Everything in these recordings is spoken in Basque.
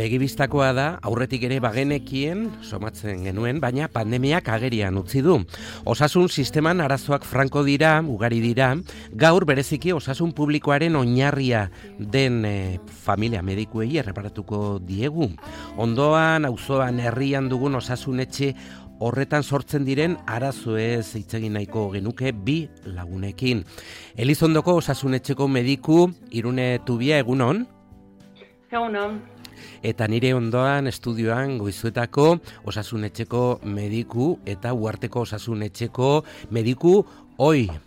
Begibistakoa da, aurretik ere bagenekien, somatzen genuen, baina pandemiak agerian utzi du. Osasun sisteman arazoak franko dira, ugari dira, gaur bereziki osasun publikoaren oinarria den familia medikuei erreparatuko diegu. Ondoan, auzoan, herrian dugun osasunetxe horretan sortzen diren arazoez hitz egin nahiko genuke bi lagunekin. Elizondoko osasunetxeko mediku Irune Tubia, egunon? Egunon. Eta nire ondoan estudioan Goizuetako osasunetxeko mediku eta Uharteko osasunetxeko mediku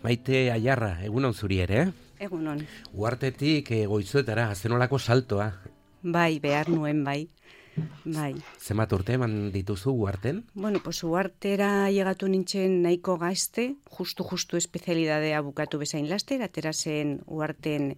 Maite Aiarra, egunon zuri ere? Egunon. Uhartetik Goizuetara, zenolako saltoa? Bai, behar nuen bai. Zenbat urte eman dituzu Uharten? Bueno, pues Uhartera llegatu nintzen nahiko gazte, justu espezialidadea bukatu bezain laster, atera zen Uharten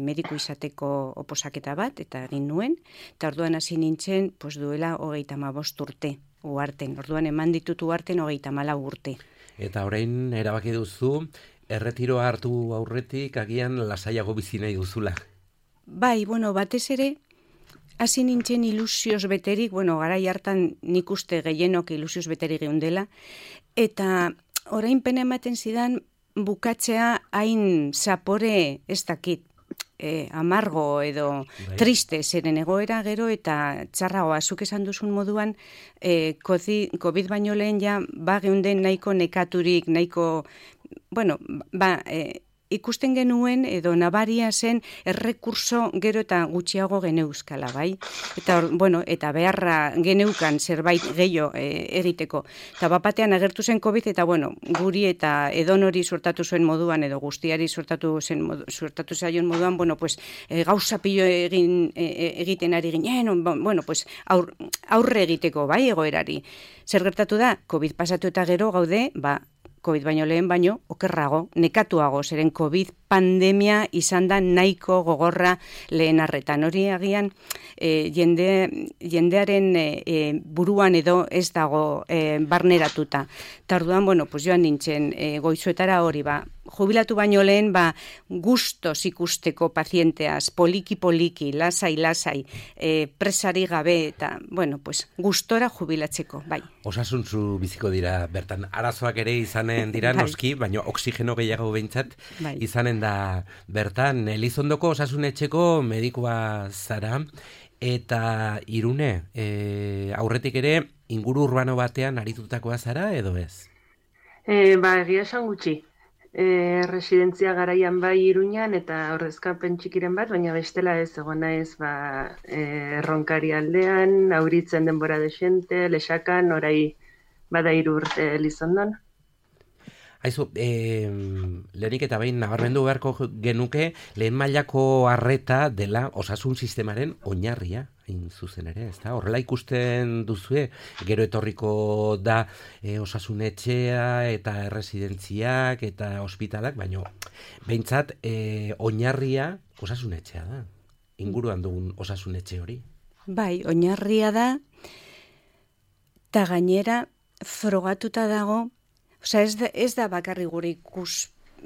mediku izateko oposaketa bat, eta egin nuen, eta orduan hasi nintzen, pues duela 35 urte Uharten. Orduan eman ditut Uharten 34 urte. Eta orain erabaki duzu, erretiroa hartu aurretik agian lasaiago bizi nahi duzula. Bai, bueno, batez ere, hasi nintzen ilusioz beterik, garai hartan nik uste gehienok ilusioz beterik geundela, eta orain pena ematen zidan bukatzea hain zapore ez dakit, amargo edo triste zeren egoera gero eta txarragoa, zuk esan duzun moduan COVID baino lehen ja geunden nahiko nekaturik, nahiko, ikusten genuen edo nabaria zen errekurso gero eta gutxiago geneuzkala, bai? Eta beharra geneukan zerbait gehiago egiteko. Eta bapatean agertu zen COVID eta guri eta edonori suertatu zuen moduan edo guztiari suertatu zaion moduan, gauza pilo egiten ari ginen, aurre egiteko, bai, egoerari. Zer gertatu da, COVID pasatu eta gero gaude, COVID baino lehen baino, okerrago, nekatuago, zeren COVID pandemia izan da nahiko gogorra lehen arretan. Hori agian jendearen buruan edo ez dago barneratuta. Eta orduan, joan nintzen Goizuetara hori, jubilatu baino lehen, gustos ikusteko pazienteaz, poliki, lasai, presari gabe, eta, gustora jubilatzeko, bai. Osasuntzu biziko dira, bertan, arazoak ere izanen dira, noski, baina oksigeno gehiago behintzat izanen da bertan. Elizondoko osasunetxeko medikua zara, eta Irune, aurretik ere, inguru urbano batean aritutakoa zara, edo ez? Egia esan gutxi. Residentzia garaian bai Iruñan eta ordezkapen txikiren bat, baina bestela ez egon naiz Erronkari aldean, Auritzen denbora desente, Lexakan, orai bada 3 urte Elizondon. Aizu, lehenik eta behin nabarmendu beharko genuke lehen mailako arreta dela osasun sistemaren oinarria, hain zuzen ere, ezta? Horrela ikusten duzue, gero etorriko da osasunetxea eta erresidentziak eta ospitalak, baina behintzat oinarria osasunetxea da, inguruan dugun osasunetxe hori. Bai, oinarria da, eta gainera frogatuta dago. Ez da bakarri gure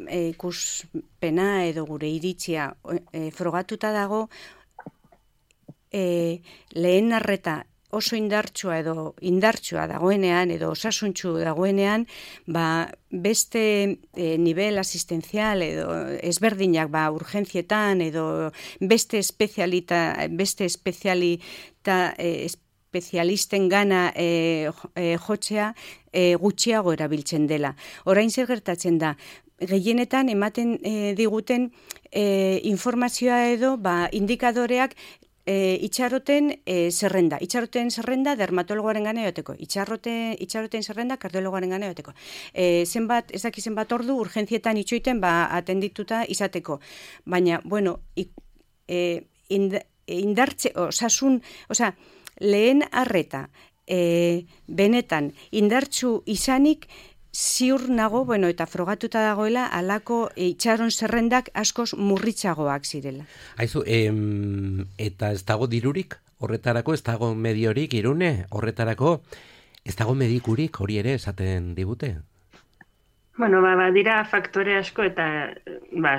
ikuspena edo gure iritzia frogatuta dago lehen arreta oso indartsua dagoenean edo osasuntsu dagoenean, beste nivel asistenzial edo ezberdinak urgentzietan edo beste espezialisten gana jotzea gutxiago erabiltzen dela. Orain zer gertatzen da, gehienetan ematen diguten informazioa edo indikadoreak itxaroten zerrenda. Itxaroten zerrenda dermatologoaren gana joteko. Itxaroten zerrenda kardiologoaren gana joteko. Ez daki zenbat ordu urgentzietan itxoiten atendituta izateko. Baina, indartze, lehen arreta benetan indartsu izanik ziur nago, eta frogatuta dagoela alako itxaron zerrendak askoz murritzagoak zirela. Aizu, eta ez dago dirurik horretarako, ez dago mediorik, Irune, horretarako ez dago medikurik, hori ere esaten digute? Dira faktore asko eta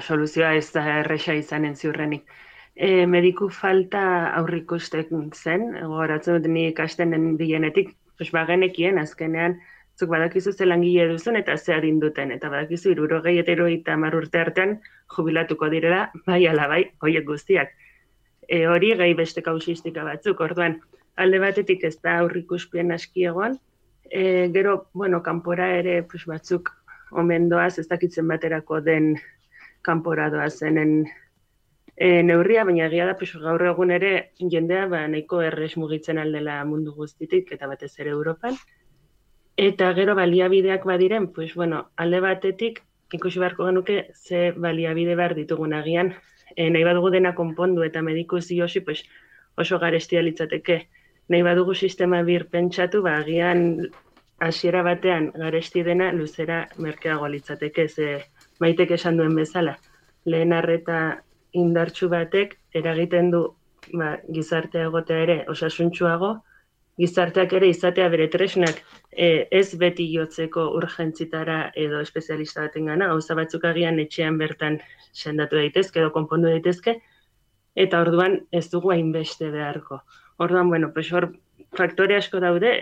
soluzioa ez da erresa izanen ziurrenik. mediku falta aurrikusten zen, gogoratzen dut ni ikastenen dienetik, bagenekien azkenean, zuk badakizu ze langile duzun eta ze adin duten, eta badakizu 60 eta 70 urte artean jubilatuko direla, bai ala bai, horiek guztiak. Hori gehi beste kausistika batzuk, orduan, alde batetik ez da aurrikuspien aski egon, gero, kanpora ere batzuk omen doaz, ez dakitzen baterako den kanpora doazenen neurria, baina egia da gaur egun ere jendea nahiko errez mugitzen aldela mundu guztitik, eta batez ere Europan. Eta gero baliabideak badiren, alde batetik, ikusi beharko genuke ze baliabide behar ditugun agian, nahi badugu dena konpondu eta mediku ziosi oso garestia litzateke. Nahi badugu sistema bir pentsatu, agian hasiera batean garesti dena luzera merkeago litzateke, ze Maitek esan duen bezala. Lehen arreta indartsu batek eragiten du gizartea egotea ere osasuntsuago, gizarteak ere izatea bere tresnak ez beti jotzeko urgentzitara edo espezialista batengana, gauza batzuk agian etxean bertan sendatu daitezke edo konpondu daitezke, eta orduan ez dugu hainbeste beharko. Orduan, hor faktore asko daude,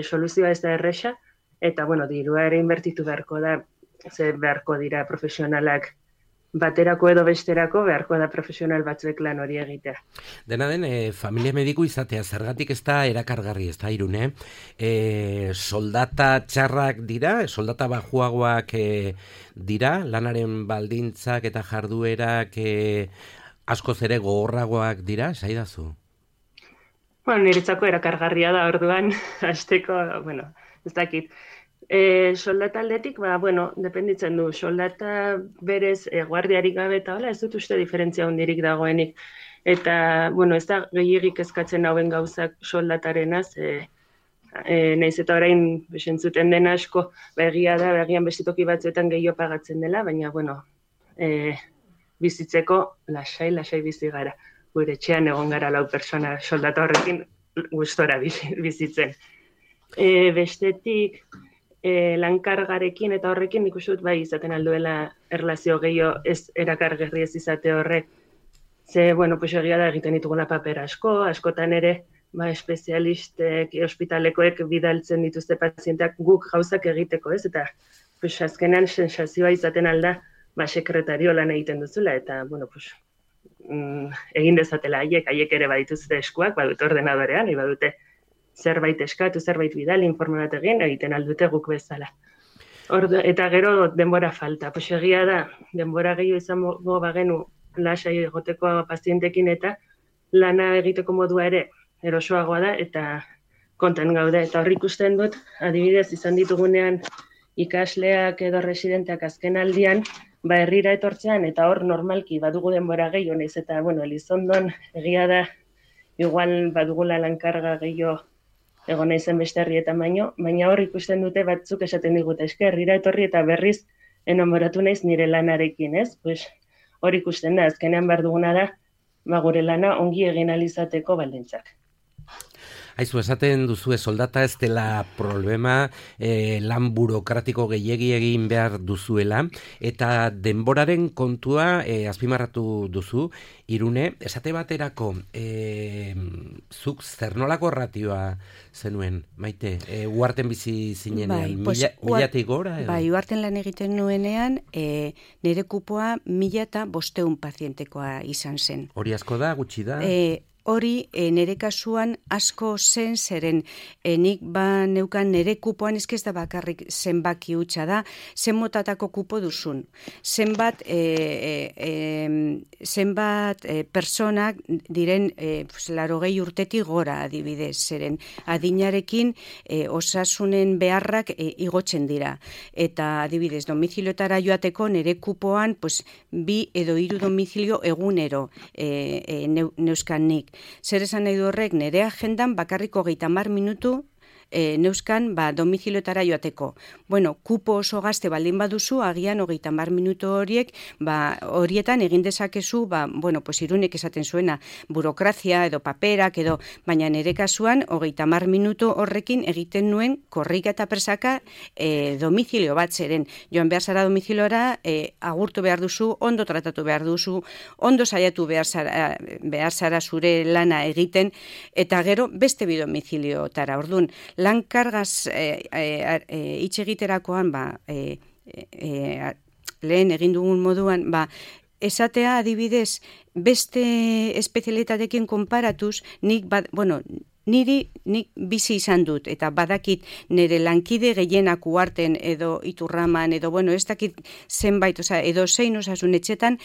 soluzioa ez da erresa, eta dirua ere inbertitu beharko da, ze beharko dira profesionalak baterako edo besterako, beharko da profesional batzuek lan hori egitea. Dena den, familia mediku izatea, zergatik ez da erakargarri, ez da, Irune? Soldata txarrak dira, soldata bajuagoak dira, lanaren baldintzak eta jarduerak askoz ere gogorragoak dira, esaidazu? Niretzako erakargarria da orduan, hasteko, ez dakit. Soldata aldetik, dependitzen du, soldata berez guardiarik gabe eta hola, ez dut uste diferentzia hondirik dagoenik. Eta, ez da gehiagik eskatzen hauen gauzak soldatarena, nahiz eta orain besentzuten den asko, egia da, egian bestitoki batzuetan gehiago pagatzen dela, baina, bizitzeko lasai bizi gara. Gure etxean egon gara 4 pertsona soldata horrekin gustora bizitzen. Bestetik, lankargarekin eta horrekin nik uste dut bai izaten alduela erlazio gehiago ez erakargarri ez izate horrek. Ze, egia da egiten ditugula paper askotan ere, espezialistek, ospitalekoek bidaltzen dituzte pazienteak guk gauzak egiteko, ez? Eta, azkenan sensazioa izaten alda, sekretario lan egiten duzula, eta, egin dezatela haiek ere badituzte eskuak, badute ordenadorean, badute zerbait eskatu, zerbait bidali, informe bat egiten aldute guk bezala. Eta gero denbora falta. Egia da, denbora gehiago izango bagenu lasai egoteko pazientekin eta lana egiteko modua ere erosoagoa da eta konten gaude. Eta horri ikusten dut, adibidez izan ditugunean ikasleak edo residenteak azken aldian, herrira etortzean eta hor normalki badugu denbora gehiago, naiz eta, Elizondon egia da, igual badugula lankarga gehiago egon naizen beste herrietan baina hor ikusten dute batzuk esaten digute, herrira etorri eta berriz enamoratu naiz nire lanarekin, ez? Hor ikusten da, azkenean behar duguna da, gure lana ongi egin alizateko baldintzak. Aizu, esaten duzu soldata ez dela problema, lan burokratiko gehiegi egin behar duzuela, eta denboraren kontua azpimarratu duzu, Irune, esate baterako, zuk zer nolako ratioa zenuen, Maite? Uharten bizi zinenean, milatik gora? Bai, uharten lan egiten nuenean, nire kupoa 1.500 pazientekoa izan zen. Hori asko da, gutxi da? Hori, nire kasuan asko zen zeren, nik neukan nire kupoan ez da bakarrik zenbaki hutsa da, zen motatako kupo duzun. Zenbat personak diren 80 urtetik gora adibidez, zeren adinarekin osasunen beharrak igotzen dira. Eta adibidez, domiziliotara joateko nire kupoan 2 edo 3 domizilio egunero neuskan nik. Zer esan nahi du horrek, nire agendan bakarriko 30 minutu neuzkan domiziliotara joateko. Bueno, kupo oso gazte baldin baduzu, agian 30 minutu horiek, horietan egin dezakezu, pues Irunek esaten zuena, burokrazia edo paperak edo, baina nire kasuan 30 minutu horrekin egiten nuen korrika eta presaka domizilio bat zeren. Joan behar zara domiziliora, agurtu behar duzu, ondo tratatu behar duzu, ondo saiatu behar zara zure lana egiten, eta gero beste bi domiziliotara. Orduan, lan kargaz hitz egiterakoan, lehen egin dugun moduan, esatea adibidez, beste espezialitatekin konparatuz, nik bizi izan dut, eta badakit nire lankide gehienak uarten edo Iturraman, edo ez dakit zenbait, edo zein osasun etxetan,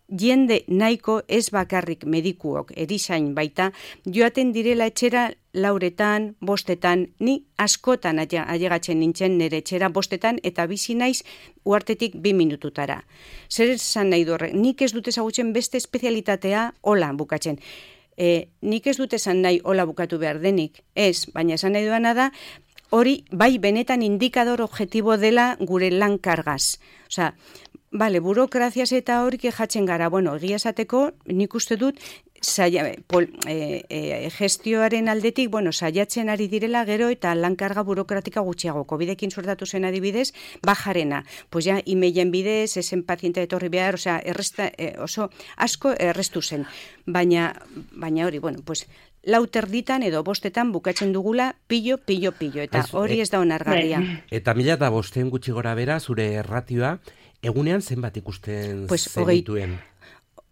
jende nahiko ez bakarrik medikuok, erizain baita, joaten direla etxera 4, 5, ni askotan ailegatzen nintzen nire etxera 5 eta bizi naiz uartetik 2 minututara. Zer esan nahi du horrek? Nik ez dut ezagutzen beste espezialitatea hola bukatzen. Nik ez dut esan nahi hola bukatu behar denik, ez, baina esan nahi duana da, hori bai benetan indikador objektibo dela gure lan kargaz. Burokraziaz eta hori kejatzen gara, egia esateko, nik uste dut, gestioaren aldetik, saiatzen ari direla gero eta lankarga burokratika gutxiago. Covidekin suertatu zen adibidez, bajarena. Pues ja, imeilen bidez, esen paziente etorri behar, oso asko errestu zen. Baina hori, 4 edo 5 bukatzen dugula pillo, eta hori ez da onargarria. Eta 1005 gutxi gora bera, zure erratioa, egunean zenbat ikusten zenituen?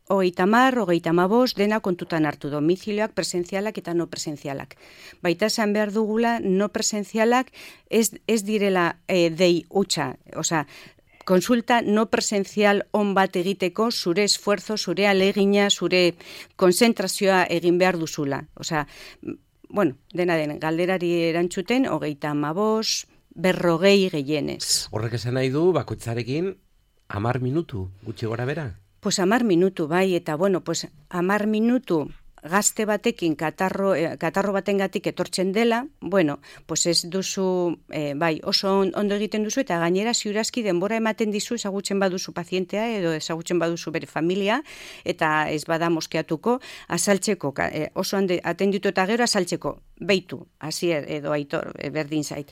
30, 35, dena kontutan hartu domizilioak, presentzialak eta no presentzialak. Baita esan behar dugula, no presentzialak ez direla dei hutsa, konsulta no presentzial on bat egiteko zure esfuerzo, zure alegina, zure konzentrazioa egin behar duzula. Dena den, galderari erantzuten, 35, 40 gehienez. Horrek esan nahi du, bakoitzarekin 10 minutu, gutxi gora bera? Pues 10 minutu, bai, eta 10 minutu gazte batekin katarro batengatik etortzen dela, pues ez duzu, oso ondo egiten duzu, eta gainera ziurazki denbora ematen dizu ezagutzen baduzu pazientea edo ezagutzen baduzu bere familia, eta ez bada moskeatuko, azaltzeko, oso atenditu eta gero azaltzeko, beitu, hasi edo aitor, berdin zait.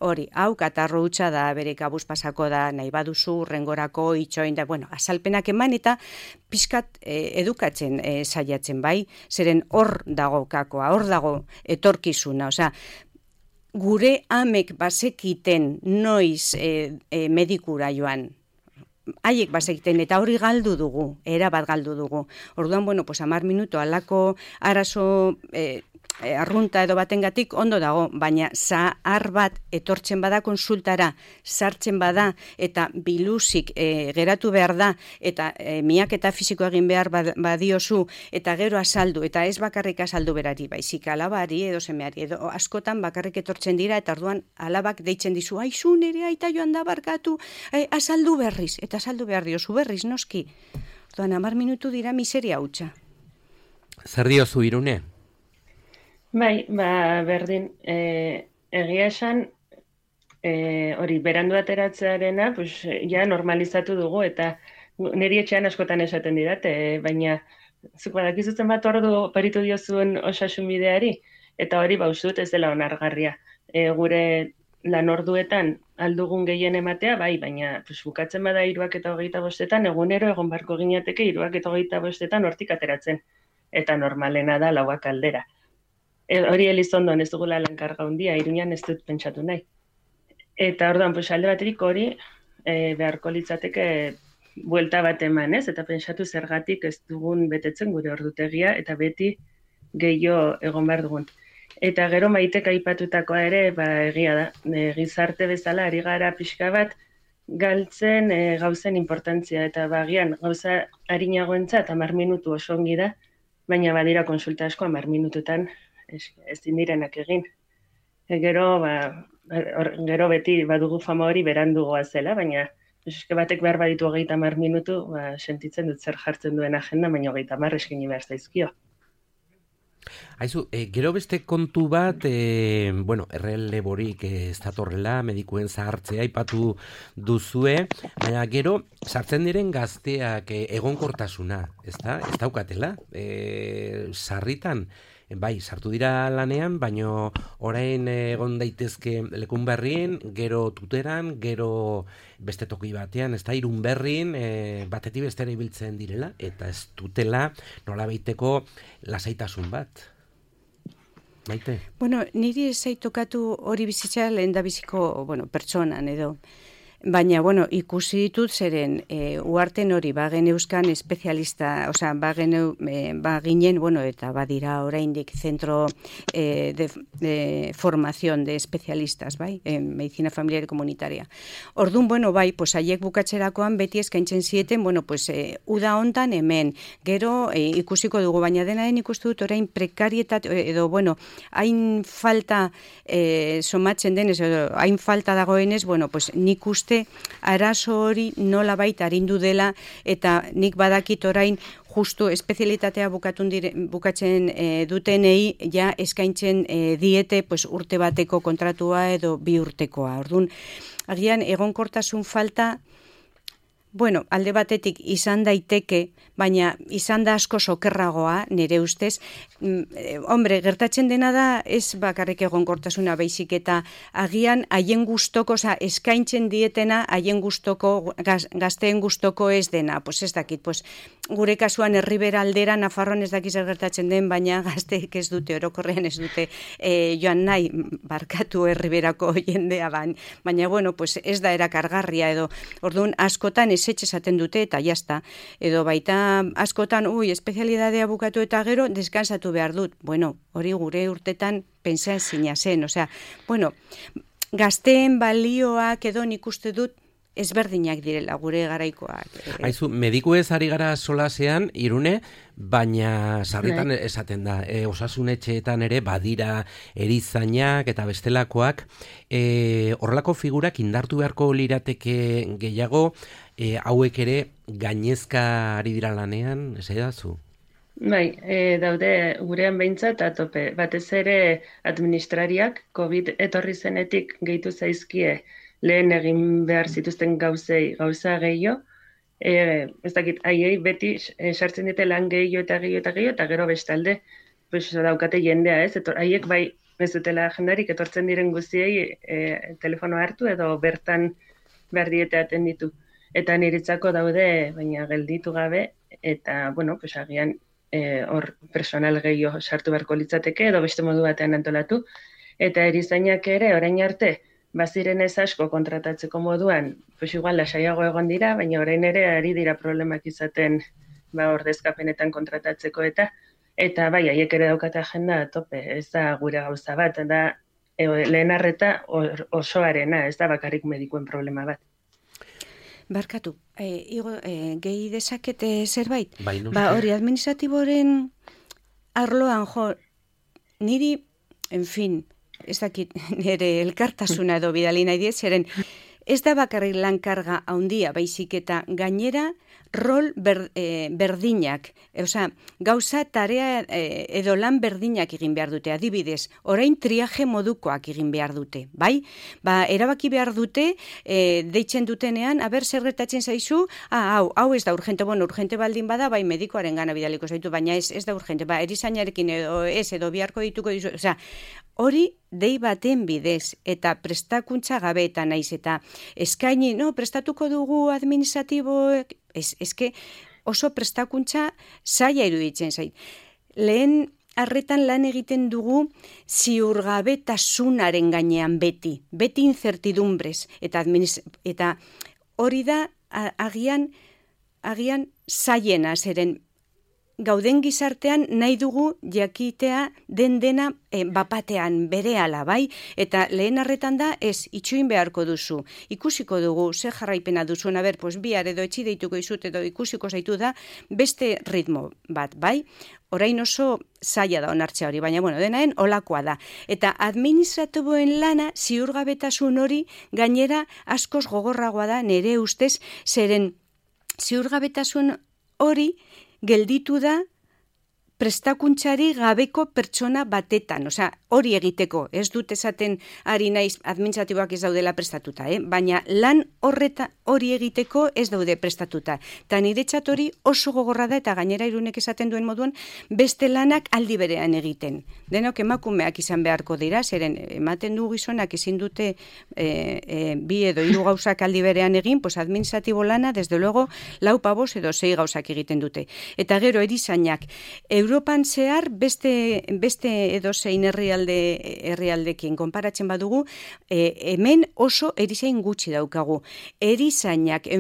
Hori, hau katarro hutsa da, bere kabuz pasako da, nahi baduzu, rengorako, itxoin da, azalpenak eman eta pixkat edukatzen saiatzen, bai? Zeren hor dago kakoa, hor dago etorkizuna, gure amek bazekiten noiz medikura joan, haiek bazekiten eta hori galdu dugu, erabat galdu dugu. Orduan, 10 minutu alako arazo arrunta edo batengatik ondo dago, baina zahar bat etortzen bada konsultara, sartzen bada eta biluzik geratu behar da eta miaketa fisiko egin behar badiozu eta gero azaldu, eta ez bakarrik azaldu berari, baizik alabari edo semeari, edo askotan bakarrik etortzen dira eta orduan alabak deitzen dizu, aizu nere aita joan da barkatu, azaldu berriz, eta azaldu behar diozu berriz, noski. Orduan 10 minutu dira miseria hutsa. Zer diozu Irune? Bai, berdin, egia esan, hori, berandu ateratzearena, ja normalizatu dugu, eta niri etxean askotan esaten didate, baina zuk badakizutzen bat ordu paritu diozuen osasun bideari, eta hori bauzut ez dela onargarria. Gure lan orduetan aldugun gehien ematea, bai, baina bukatzen bada 3:25, egunero egon barko ginateke 3:25 hortik ateratzen, eta normalena da 4 aldera. Hori Elizondon ez dugula lankarga handia, Iruñan ez dut pentsatu nahi. Eta orduan, alde baterik hori beharko litzateke buelta bat eman, ez? Eta pentsatu zergatik ez dugun betetzen gure ordutegia, eta beti gehiago egon behar dugun. Eta gero Maitek aipatutakoa ere, egia da, gizarte bezala ari gara pixka bat galtzen gauzen importantzia, eta bagian gauza arinagoentzat 10 minutu oso ongi da, baina badira konsulta asko 10 minututan ez direnak egin. Gero beti badugu fama hori berandugoa zela, baina batek behar baditu 30 minutu, sentitzen dut zer jartzen duen agenda, baina 30 eskini behar zaizkio. Haizu, gero beste kontu bat, erreleborik ez datorrela, medikuen zahartzea aipatu duzue, baina gero sartzen diren gazteak egonkortasuna, ez daukatela, sarritan, bai, sartu dira lanean, baino orain egon daitezke lekun berrien, gero tuteran, gero beste toki batean, ez da, irun berrin, batetik bestera ibiltzen direla, eta ez dutela nola baiteko lasaitasun bat. Maite? Bueno, niri ez zaitokatu hori bizitza lehen da biziko, pertsonan edo. Baina, ikusi ditut zeren uarten hori bagen euskan espezialista, baginen, eta badira oraindik zentro de formación de especialistas, bai, en medicina familiar y comunitaria. Orduan, bai, haiek bukatzerakoan beti eskaintzen zieten, uda hontan hemen, gero ikusiko dugu, baina dena den ikustu dut orain prekarietat, edo, hain falta somatzen denez, edo hain falta dagoenez, nik uste arazo hori nola baita arindu dela eta nik badakit orain justu espezialitatea bukatzen dutenei ja eskaintzen diete urte bateko kontratua edo 2 urtekoa. Orduan, agian egonkortasun falta, alde batetik izan daiteke, baina izan da asko sokerragoa, nire ustez. Gertatzen dena da, ez bakarrik egonkortasuna baizik eta agian haien gustoko, eskaintzen dietena, haien gustoko, gazteen gustoko ez dena. Ez dakit, gure kasuan Herribera aldera, Nafarroan ez dakiz gertatzen den, baina gazteek ez dute, orokorrean ez dute joan nahi, barkatu Herriberako jendea, baina, ez da erakargarria edo, orduan, askotan ezetxe esaten dute eta jazta, edo baita askotan, espezialidadea bukatu eta gero, deskansatu behar dut. Hori gure urtetan pentsa ezina zen, gazteen balioak edo nik uste dut ezberdinak direla gure garaikoak. Haizu, mediku ez ari gara solasean, Irune, baina sarritan esaten da, osasunetxeetan ere badira erizainak eta bestelakoak, horrelako figurak indartu beharko lirateke gehiago, hauek ere gainezka ari dira lanean, ez edazu? Bai, daude gurean behintzat atope. Batez ere administrariak COVID etorri zenetik gehitu zaizkie lehen egin behar zituzten gauza gehiago. Ez dakit, haiei beti sartzen dute lan gehiago eta gero bestalde daukate jendea, ez? Haiek bai ez dutela agendarik etortzen diren guztiei telefono hartu edo bertan behar diete atenditu. Eta niretzako daude, baina gelditu gabe, eta, agian hor personal gehiago sartu beharko litzateke, edo beste modu batean antolatu. Eta erizainak ere, orain arte, baziren ez asko kontratatzeko moduan, igual lasaiago egon dira, baina orain ere ari dira problemak izaten ordezkapenetan kontratatzeko eta bai, haiek ere daukate agenda tope, ez da gure gauza bat, da lehen arreta osoarena, ez da bakarrik medikuen problema bat. Barkatu, gehi dezakete zerbait? Bai, hori administratiboren arloan niri, ez dakit, nire elkartasuna edo bidali nahi diet, zeren ez da bakarrik lankarga handia, baizik eta gainera rol berdinak, gauza tarea edo lan berdinak egin behar dute, adibidez, orain triaje modukoak egin behar dute, bai? Erabaki behar dute, deitzen dutenean, zer gertatzen zaizu, hau ez da urgente, urgente baldin bada, bai medikoaren gana bidaliko zaitu, baina ez da urgente, erizainarekin edo biharko dituko dizu, hori dei baten bidez, eta prestakuntza gabe eta naiz, eta eskaini, prestatuko dugu administratiboek, eske oso prestakuntza zaila iruditzen zait. Lehen arretan lan egiten dugu ziurgabetasunaren gainean beti incertidumbrez, eta hori da agian zaiena, zeren gauden gizartean nahi dugu jakitea dena bapatean berehala, bai? Eta lehen arretan da, itxuin beharko duzu. Ikusiko dugu, ze jarraipena duzuen, bihar edo etxi deituko izut edo ikusiko zaitu da, beste ritmo bat, bai? Orain oso zaila da onartzea hori, baina denaen olakoa da. Eta administratiboen lana ziurgabetasun hori gainera askoz gogorragoa da nire ustez, zeren ziurgabetasun hori gelditu da prestakuntzari gabeko pertsona batetan, hori egiteko, ez dut esaten ari naiz administratiboak ez daudela prestatuta, baina lan hori egiteko ez daude prestatuta. Eta niretzat hori oso gogorra da, eta gainera Irunek esaten duen moduan, beste lanak aldi berean egiten. Denok emakumeak izan beharko dira, zeren ematen du gizonak ezin dute 2 edo 3 gauzak aldi berean egin, pues administratibo lana, desde luego, 4, 5 edo 6 gauzak egiten dute. Eta gero erizainak, Europan zehar beste edozein herrialdekin konparatzen badugu, hemen oso erizain gutxi daukagu. Erizainak,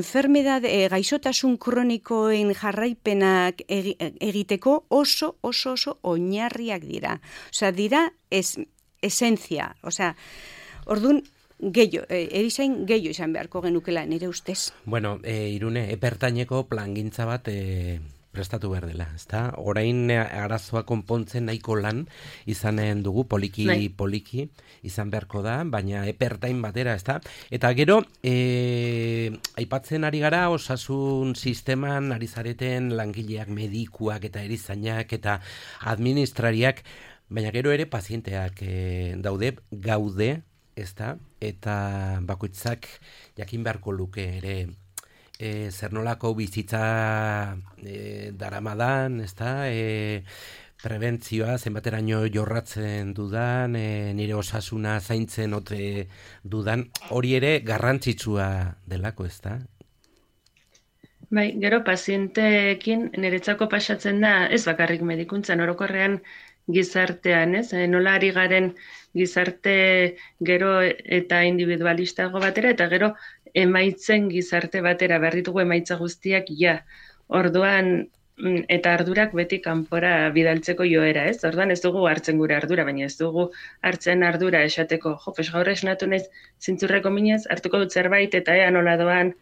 gaixotasun kronikoen jarraipenak egiteko oso oinarriak dira. Dira esentzia. Orduan, erizain gehiago izan beharko genukela, nire ustez. Bueno, Irune, epertaineko plangintza bat prestatu behar dela, ezta? Orain arazoa konpontzen nahiko lan izanen dugu, poliki izan beharko da, baina epertain batera, ezta? Eta gero, aipatzen ari gara, osasun sisteman ari zareten langileak, medikuak eta erizainak eta administrariak, baina gero ere pazienteak gaude, ezta? Eta bakoitzak jakin beharko luke ere zer nolako bizitza daramadan, ezta? Prebentzioa, zenbateraino jorratzen dudan, nire osasuna zaintzen ote dudan, hori ere garrantzitsua delako, ezta? Bai, gero pazienteekin niretzako pasatzen da, ez bakarrik medikuntzan, orokorrean gizartean, ez? Nola ari garen gizarte gero eta individualistago batera, eta gero emaitzen gizarte batera, behar ditugu emaitza guztiak Orduan, eta ardurak beti kanpora bidaltzeko joera, ez? Orduan ez dugu hartzen gure ardura, baina ez dugu hartzen ardura esateko, gaur esnatu naiz zintzurreko minez, hartuko dut zerbait, eta ea nola doan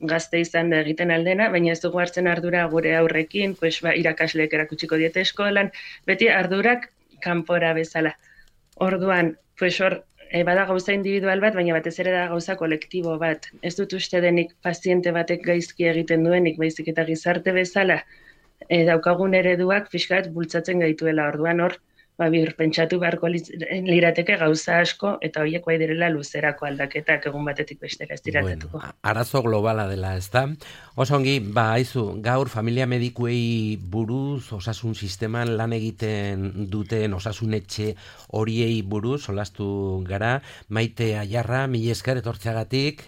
gazte izan da egiten aldena, baina ez dugu hartzen ardura gure aurrekin, irakasleek erakutsiko diete eskolan, beti ardurak kanpora bezala. Orduan, hor, bada gauza individual bat, baina batez ere da gauza kolektibo bat. Ez dut uste denik paziente batek gaizki egiten duenik, baizik eta gizarte bezala daukagun ereduak fiskat bultzatzen gaituela. Orduan hor, pentsatu beharko lirateke gauza asko, eta horiek bai direla luzerako aldaketak egun batetik bestera ez diratatuko. Bueno, arazo globala dela, ez da? Osongi, haizu, gaur familia medikuei buruz, osasun sisteman lan egiten duten osasunetxe horiei buruz, solastu gara, Maite Aiarra, mila esker etortzeagatik.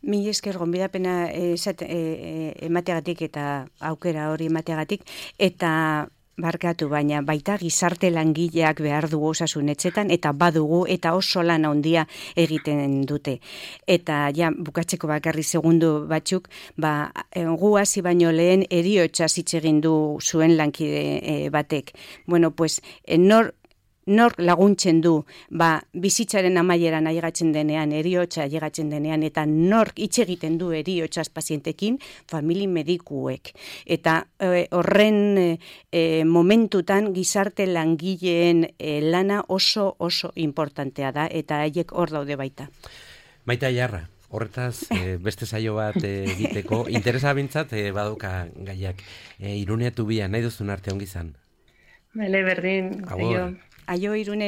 Mila esker gonbidapena emateagatik eta aukera hori emateagatik, eta barkatu, baina baita gizarte langileak behar dugu osasunetxetan, eta badugu, eta oso lan handia egiten dute. Eta bukatzeko bakarri segundu batzuk, gu hasi baino lehen heriotza hitz egin du zuen lankide batek. Bueno, pues, nor laguntzen du, bizitzaren amaieran ailegatzen denean, heriotza ailegatzen denean, eta nor hitz egiten du heriotzaz pazientekin, famili medikuek. Eta horren momentutan gizarte langileen lana oso importantea da, eta haiek hor daude baita. Maite Aiarra, horretaz beste saio bat egiteko, interesa bintzat badoka gaiak. Iruneatu nahi duzun arte ongi izan. Bale, berdin. Agur. Aio, Irune.